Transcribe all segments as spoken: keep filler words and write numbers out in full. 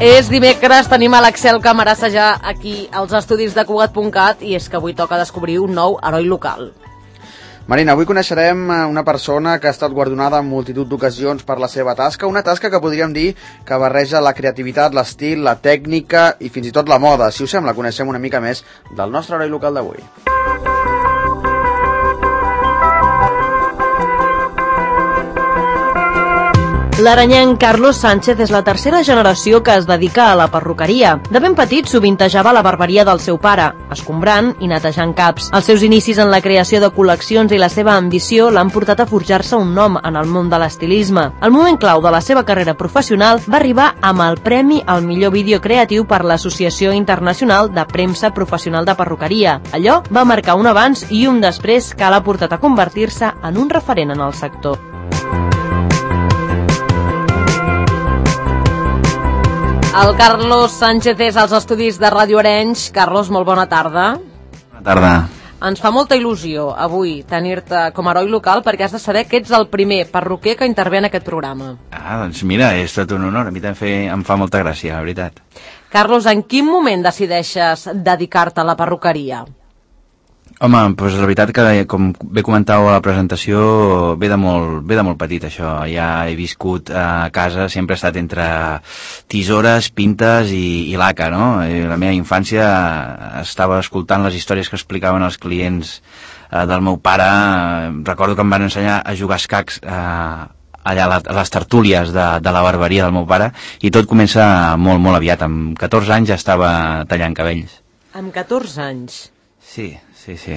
És dimecres, tenim a l'Axel Camarasa ja aquí als estudis de Cugat punt cat i és que avui toca descobrir un nou heroi local. Marina, avui coneixerem una persona que ha estat guardonada en multitud d'ocasions per la seva tasca, una tasca que podríem dir que barreja la creativitat, l'estil, la tècnica i fins i tot la moda. Si us sembla, coneixem una mica més del nostre heroi local d'avui. L'aranyenc Carlos Sánchez és la tercera generació que es dedica a la perruqueria. De ben petit sovintejava la barberia del seu pare, escombrant i netejant caps. Els seus inicis en la creació de col·leccions i la seva ambició l'han portat a forjar-se un nom en el món de l'estilisme. El moment clau de la seva carrera professional va arribar amb el premi al millor vídeo creatiu per l'Associació Internacional de Premsa Professional de Perruqueria. Allò va marcar un abans i un després que l'ha portat a convertir-se en un referent en el sector. El Carlos Sánchez és als estudis de Ràdio Arenys. Carlos, molt bona tarda. Bona tarda. Ens fa molta il·lusió avui tenir-te com a heroi local perquè has de saber que ets el primer perruquer que intervé en aquest programa. Ah, doncs mira, és tot un honor. A mi també em fa molta gràcia, la veritat. Carlos, en quin moment decideixes dedicar-te a la perruqueria? Home, doncs la veritat que, com bé comentàveu a la presentació, ve de molt, ve de molt petit això. Ja he viscut a casa, sempre he estat entre tisores, pintes i, i laca, no? I la meva infància estava escoltant les històries que explicaven els clients eh, del meu pare. Recordo que em van ensenyar a jugar escacs eh, allà a les tertúlies de, de la barberia del meu pare, i tot comença molt, molt aviat. Amb catorze anys ja estava tallant cabells. Amb catorze anys? Sí. Sí, sí.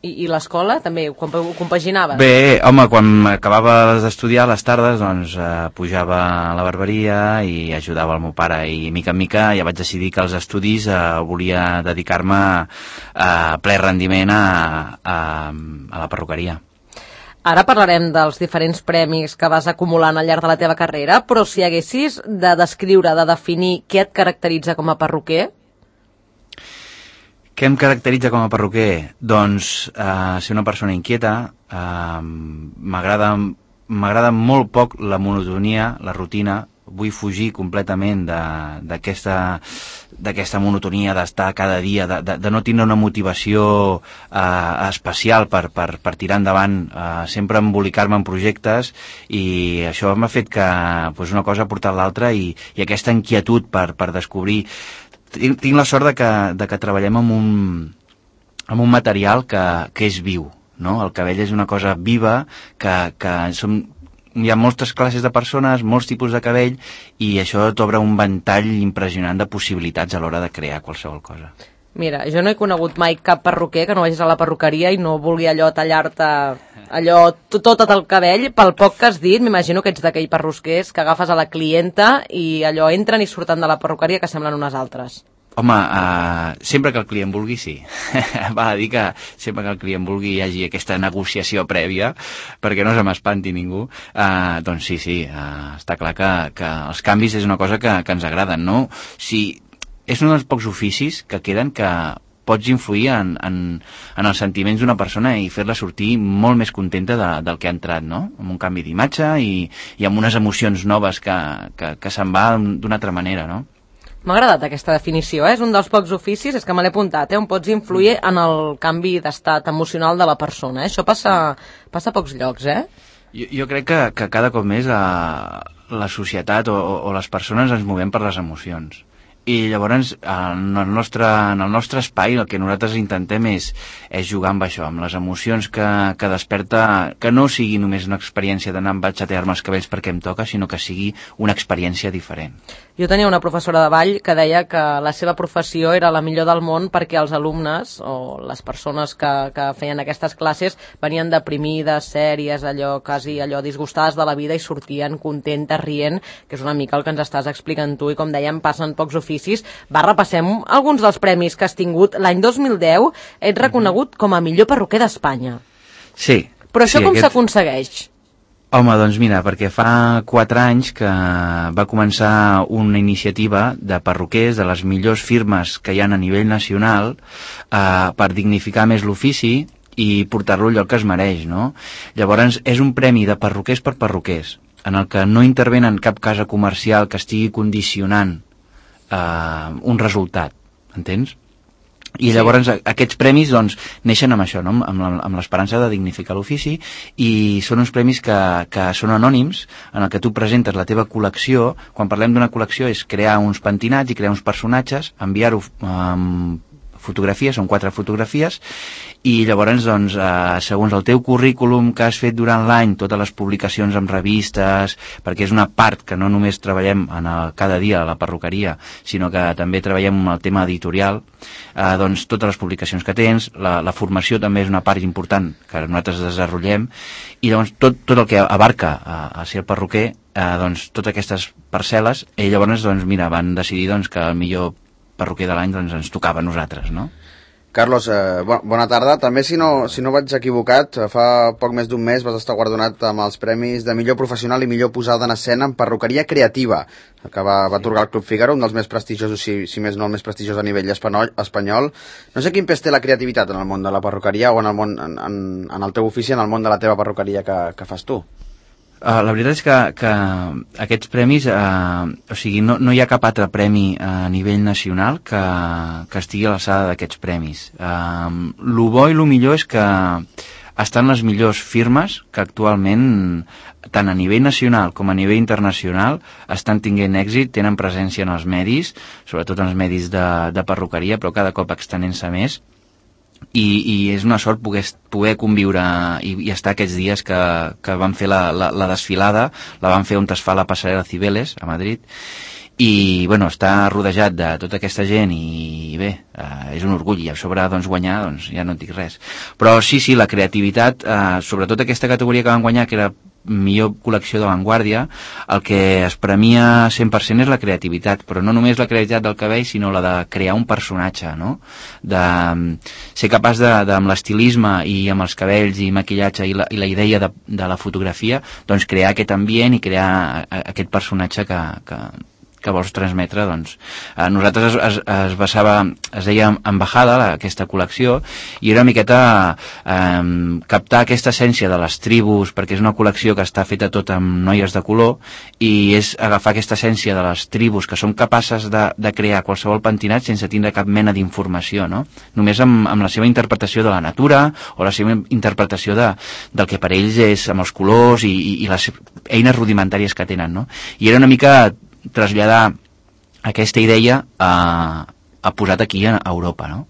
I, i l'escola també ho compaginaves? Bé, home, quan acabava d'estudiar a les tardes, doncs eh, pujava a la barberia i ajudava el meu pare, i mica en mica ja vaig decidir que als estudis eh, volia dedicar-me a ple rendiment a, a, a la perruqueria. Ara parlarem dels diferents premis que vas acumulant al llarg de la teva carrera, però si haguessis de descriure, de definir què et caracteritza com a perruquer? Què em caracteritza com a perruquer? Doncs eh, ser una persona inquieta. eh, m'agrada m'agrada molt poc la monotonia, la rutina. Vull fugir completament d'aquesta d'aquesta monotonia d'estar cada dia, de, de, de no tindre una motivació eh, especial per, per, per tirar endavant, eh, sempre embolicar-me en projectes, i això m'ha fet que pues, una cosa ha portat l'altra, i, i aquesta inquietud per, per descobrir. Tinc, tinc la sort de que, de que treballem amb un, amb un material que, que és viu, no? El cabell és una cosa viva, que, que som, hi ha moltes classes de persones, molts tipus de cabell, i això t'obre un ventall impressionant de possibilitats a l'hora de crear qualsevol cosa. Mira, jo no he conegut mai cap perruquer que no vagis a la perruqueria i no vulgui allò tallar-te allò tot el cabell. Pel poc que has dit, m'imagino que ets d'aquell perrusquers que agafes a la clienta i allò entren i surten de la perruqueria que semblen unes altres. Home, uh, sempre que el client vulgui, sí. Val a dir que sempre que el client vulgui hi hagi aquesta negociació prèvia, perquè no se m'espanti ningú. Uh, doncs sí, sí, uh, està clar que, que els canvis és una cosa que, que ens agraden, no? Si és un dels pocs oficis que queden que pots influir en, en, en els sentiments d'una persona i fer-la sortir molt més contenta de, del que ha entrat, no? Amb un canvi d'imatge i, i amb unes emocions noves que, que, que se'n va d'una altra manera, no? M'ha agradat aquesta definició, eh? És un dels pocs oficis, és que me l'he apuntat, eh? On pots influir en el canvi d'estat emocional de la persona, eh? Això passa, passa a pocs llocs, eh? Jo, jo crec que, que cada cop més la, la societat o, o les persones ens movem per les emocions. I llavors en el nostre, en el nostre espai el que nosaltres intentem és, és jugar amb això, amb les emocions que, que desperta, que no sigui només una experiència d'anar a xatear-me els cabells perquè em toca, sinó que sigui una experiència diferent. Jo tenia una professora de ball que deia que la seva professió era la millor del món perquè els alumnes o les persones que, que feien aquestes classes venien deprimides, sèries, allò quasi allò disgustades de la vida i sortien contentes, rient, que és una mica el que ens estàs explicant tu, i com dèiem, passen pocs oficis. Va, repassem alguns dels premis que has tingut. L'any dos mil deu ets reconegut com a millor perruquer d'Espanya. Sí. Però això sí, com aquest... s'aconsegueix? Home, doncs mira, perquè fa quatre anys que va començar una iniciativa de perruquers de les millors firmes que hi ha a nivell nacional eh, per dignificar més l'ofici i portar-lo al lloc que es mereix, no? Llavors, és un premi de perruquers per perruquers, en el que no intervenen cap casa comercial que estigui condicionant uh, un resultat, entens? I llavors sí. Aquests premis doncs, neixen amb això, no? amb l'esperança de dignificar l'ofici, i són uns premis que, que són anònims, en el que tu presentes la teva col·lecció. Quan parlem d'una col·lecció és crear uns pentinats i crear uns personatges, enviar-ho amb fotografies, són quatre fotografies, i llavors, doncs, eh, segons el teu currículum que has fet durant l'any, totes les publicacions en revistes, perquè és una part que no només treballem en el, cada dia a la perruqueria, sinó que també treballem en el tema editorial, eh, doncs totes les publicacions que tens, la, la formació també és una part important que nosaltres desenvolupem, i llavors tot, tot el que abarca a, a ser perruquer, eh, doncs totes aquestes parcel·les, i llavors, doncs, mira, van decidir doncs, que el millor perruquer de l'any doncs, ens tocava a nosaltres, no? Carlos, eh, bona tarda. També, si no, si no vaig equivocat, fa poc més d'un mes vas estar guardonat amb els premis de millor professional i millor posada en escena en perruqueria creativa, que va, va atorgar el Club Fígaro, un dels més prestigiosos, si, si més no el més prestigiós a nivell espanyol. espanyol. No sé quin pes té la creativitat en el món de la perruqueria o en el, món, en, en, en el teu ofici, en el món de la teva perruqueria que, que fas tu. Uh, la veritat és que, que aquests premis, uh, o sigui, no, no hi ha cap altre premi a nivell nacional que, que estigui a l'alçada d'aquests premis. Uh, lo bo i lo millor és que estan les millors firmes que actualment, tant a nivell nacional com a nivell internacional, estan tinguent èxit, tenen presència en els medis, sobretot en els medis de, de perruqueria, però cada cop extenent-se més. I, i és una sort poder, poder conviure i, i estar aquests dies que, que van fer la, la, la desfilada, la van fer on es fa la passarel·la Cibeles, a Madrid, i bueno, està rodejat de tota aquesta gent i bé, eh, és un orgull, i a sobre doncs, guanyar, doncs ja no et dic res. Però sí, sí, la creativitat, eh, sobretot aquesta categoria que van guanyar, que era millor col·lecció d'avantguàrdia, el que es premia cent per cent és la creativitat, però no només la creativitat del cabell, sinó la de crear un personatge, no? De ser capaç de, de amb l'estilisme i amb els cabells i maquillatge i la, i la idea de, de la fotografia, doncs crear aquest ambient i crear aquest personatge que, que, que vols transmetre, doncs. A nosaltres es, es, es basava, es deia Embajada, aquesta col·lecció, i era una miqueta eh, captar aquesta essència de les tribus, perquè és una col·lecció que està feta tot amb noies de color, i és agafar aquesta essència de les tribus que són capaces de, de crear qualsevol pentinat sense tindre cap mena d'informació, no? Només amb, amb la seva interpretació de la natura, o la seva interpretació de, del que per ells és amb els colors i, i, i les eines rudimentàries que tenen, no? I era una mica traslladar aquesta idea a, a posat aquí a Europa, no?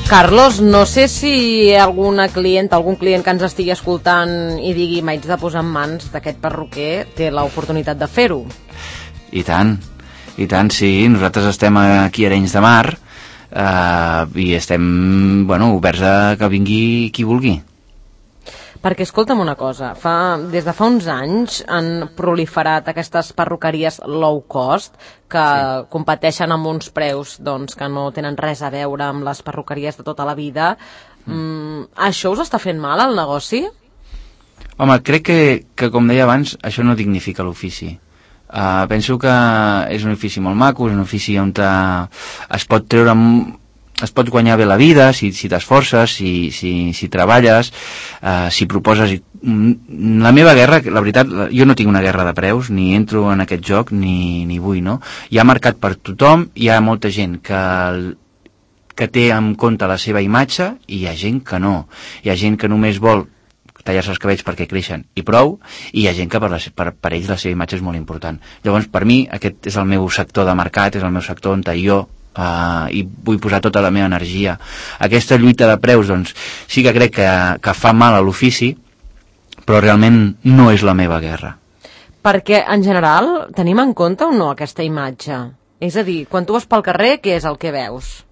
Carlos, no sé si alguna client, algun client que ens estigui escoltant i digui m'haig de posar en mans d'aquest perruquer, té l'oportunitat de fer-ho. I tant, i tant, sí. Nosaltres estem aquí a Arenys de Mar eh, i estem, bueno, oberts a que vingui qui vulgui. Perquè, escolta'm una cosa, fa, des de fa uns anys han proliferat aquestes perruqueries low cost que sí. competeixen amb uns preus doncs, que no tenen res a veure amb les perruqueries de tota la vida. Mm. Mm, això us està fent mal al negoci? Home, crec que, que com deia abans, això no dignifica l'ofici. Uh, penso que és un ofici molt maco, és un ofici on te, es pot treure es pot guanyar bé la vida si, si t'esforces, si, si, si treballes, eh, si proposes. La meva guerra, la veritat, jo no tinc una guerra de preus, ni entro en aquest joc, ni, ni vull, no? Hi ha mercat per tothom, hi ha molta gent que, que té en compte la seva imatge, i hi ha gent que no. Hi ha gent que només vol tallar-se els cabells perquè creixen i prou, i hi ha gent que per, la, per, per ells la seva imatge és molt important. Llavors, per mi, aquest és el meu sector de mercat, és el meu sector on jo Uh, i vull posar tota la meva energia. Aquesta lluita de preus, doncs, sí que crec que, que fa mal a l'ofici, però realment no és la meva guerra. Perquè, en general, tenim en compte o no aquesta imatge? És a dir, quan tu vas pel carrer, què és el que veus?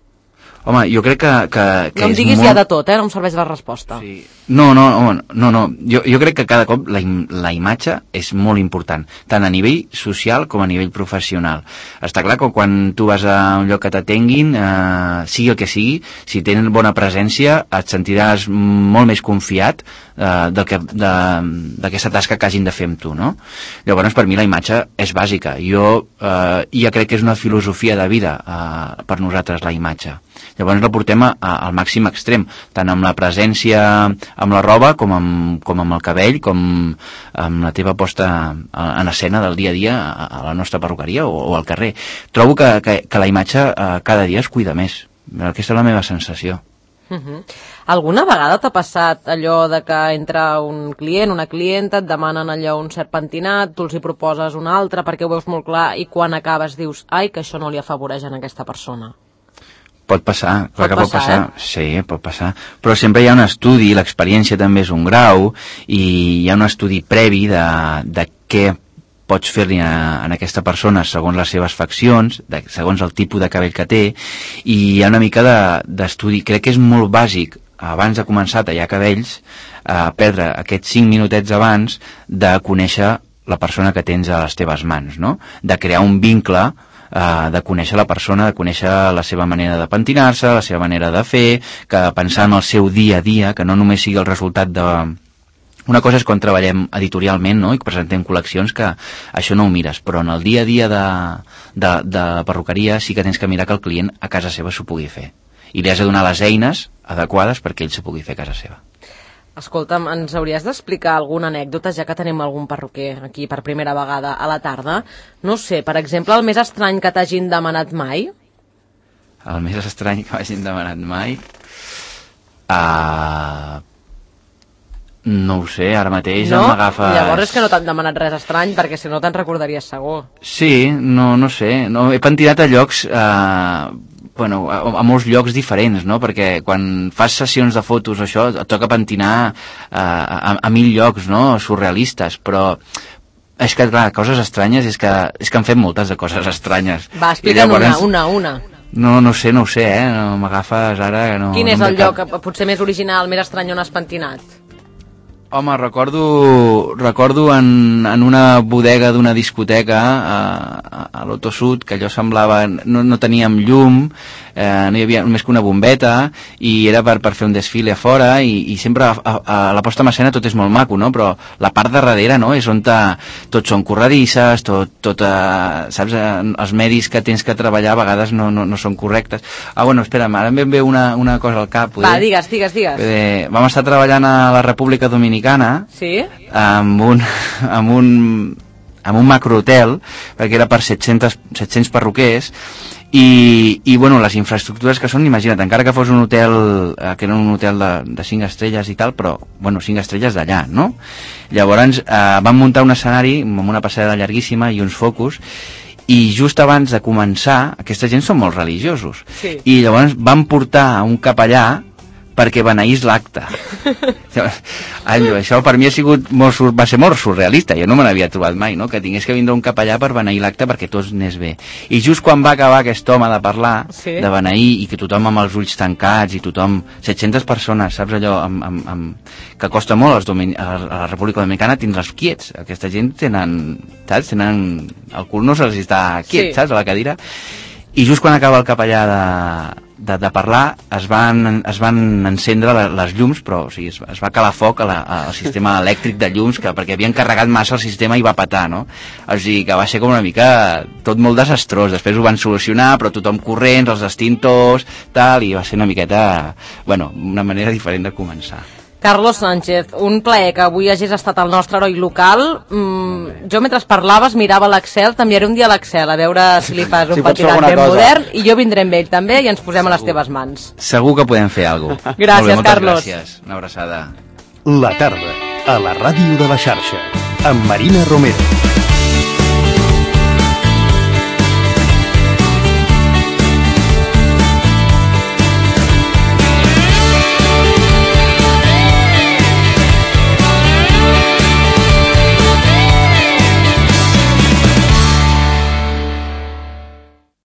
Home, jo crec que, que, que no em és diguis molt... ja de tot, eh? No em serveix la resposta. Sí. No, no, home, no, no. Jo, jo crec que cada cop la, im la imatge és molt important, tant a nivell social com a nivell professional. Està clar que quan tu vas a un lloc que t'atenguin, eh, sigui el que sigui, si tenen bona presència, et sentiràs molt més confiat eh, d'aquesta tasca que hagin de fer amb tu, no? Llavors, per mi la imatge és bàsica. Jo eh, ja crec que és una filosofia de vida eh, per nosaltres, la imatge. Llavors la portem a, a, al màxim extrem, tant amb la presència amb la roba com amb, com amb el cabell, com amb la teva posta en escena del dia a dia a, a la nostra perruqueria o, o al carrer. Trobo que, que, que la imatge eh, cada dia es cuida més. Aquesta és la meva sensació. Uh -huh. Alguna vegada t'ha passat allò de que entra un client, una clienta, et demanen allò un cert pentinat, tu els hi proposes un altre perquè ho veus molt clar i quan acabes dius, ai, que això no li afavoreix a aquesta persona? Pot passar, clar pot que passar, pot passar, eh? sí, pot passar, però sempre hi ha un estudi, l'experiència també és un grau, i hi ha un estudi previ de, de què pots fer-li a, a aquesta persona segons les seves faccions, de, segons el tipus de cabell que té, i hi ha una mica d'estudi, de, crec que és molt bàsic, abans de començar a tallar cabells, a perdre aquests cinc minutets abans de conèixer la persona que tens a les teves mans, no? De crear un vincle, Uh, de conèixer la persona, de conèixer la seva manera de pentinar-se, la seva manera de fer, que pensar en el seu dia a dia, que no només sigui el resultat de... Una cosa és quan treballem editorialment, no?, i presentem col·leccions, que això no ho mires, però en el dia a dia de, de, de perruqueria sí que tens que mirar que el client a casa seva s'ho pugui fer. I li has de donar les eines adequades perquè ell s'ho pugui fer a casa seva. Escolta'm, ens hauries d'explicar alguna anècdota, ja que tenim algun perruquer aquí per primera vegada a la tarda? No sé, per exemple, el més estrany que t'hagin demanat mai? El més estrany que m'hagin demanat mai? Uh, no ho sé, ara mateix no? m'agafes... Llavors és que no t'han demanat res estrany, perquè si no te'n recordaries segur. Sí, no, no sé, no, he pentinat a llocs... Uh, bueno, a, a molts llocs diferents, no? Perquè quan fas sessions de fotos, això, et toca pentinar uh, a, a mil llocs, no? Surrealistes, però és que, clar, coses estranyes, és que, és que han fet moltes de coses estranyes. Va, explica'n llavors... una, una, una. No, no sé, no ho sé, eh? No m'agafes ara... No, Quin no és el cap... lloc potser més original, més estrany on has pentinat? Home, recordo, recordo en, en una bodega d'una discoteca a, a, a l'Otto Sud, que allò semblava... No, no teníem llum, eh, no hi havia només que una bombeta, i era per, per fer un desfile a fora, i, i sempre a, a, a la posta en escena tot és molt maco, no? Però la part de darrere, no?, és on ta, tot són corredisses, tot, tot eh, saps, eh, els medis que tens que treballar a vegades no, no, no són correctes. Ah, bueno, espera, ara em ve una, una cosa al cap. Poder? Va, digues, digues, digues. Poder, vam estar treballant a la República Dominicana, sí? amb un, amb un, amb un macrohotel, perquè era per set-cents, set-cents perruquers, i, i bueno, les infraestructures que són, imagina't, encara que fos un hotel, eh, que era un hotel de, de cinc estrelles i tal, però, bueno, cinc estrelles d'allà, no? Llavors eh, van muntar un escenari amb una passada llarguíssima i uns focus, i just abans de començar, aquesta gent són molt religiosos, sí. I llavors van portar un capellà perquè beneís l'acte. Això per mi ha sigut molt, va ser molt surrealista, jo no me n'havia trobat mai, no?, que tingués que vindre un capellà per beneir l'acte perquè tots anés bé. I just quan va acabar aquest home de parlar, sí. de beneir, i que tothom amb els ulls tancats, i tothom, set-centes persones, saps allò, amb, amb, amb, que costa molt als domini, a la República Dominicana tindre'ls quiets. Aquesta gent tenen, saps, tenen, el cul no se'ls està quiet, sí. saps, a la cadira. I just quan acaba el capellà de, de, de parlar es van, es van encendre les llums, però o sigui, es, es va calar foc a la, al sistema elèctric de llums, que, perquè havien carregat massa el sistema i va petar, no? O sigui, que va ser com una mica tot molt desastrós. Després ho van solucionar, però tothom corrents, els extintors, tal, i va ser una miqueta, bueno, una manera diferent de començar. Carlos Sánchez, un plaer que avui hagis estat el nostre heroi local. Mm, jo mentre parlaves mirava l'Excel, t'enviaré un dia a l'Excel a veure si li fas un si pentinat ben cosa. modern, i jo vindré amb ell també i ens posem a les teves mans. Segur que podem fer alguna cosa. Gràcies, bé, Carlos. Gràcies, una abraçada. La tarda, a la ràdio de la xarxa, amb Marina Romero.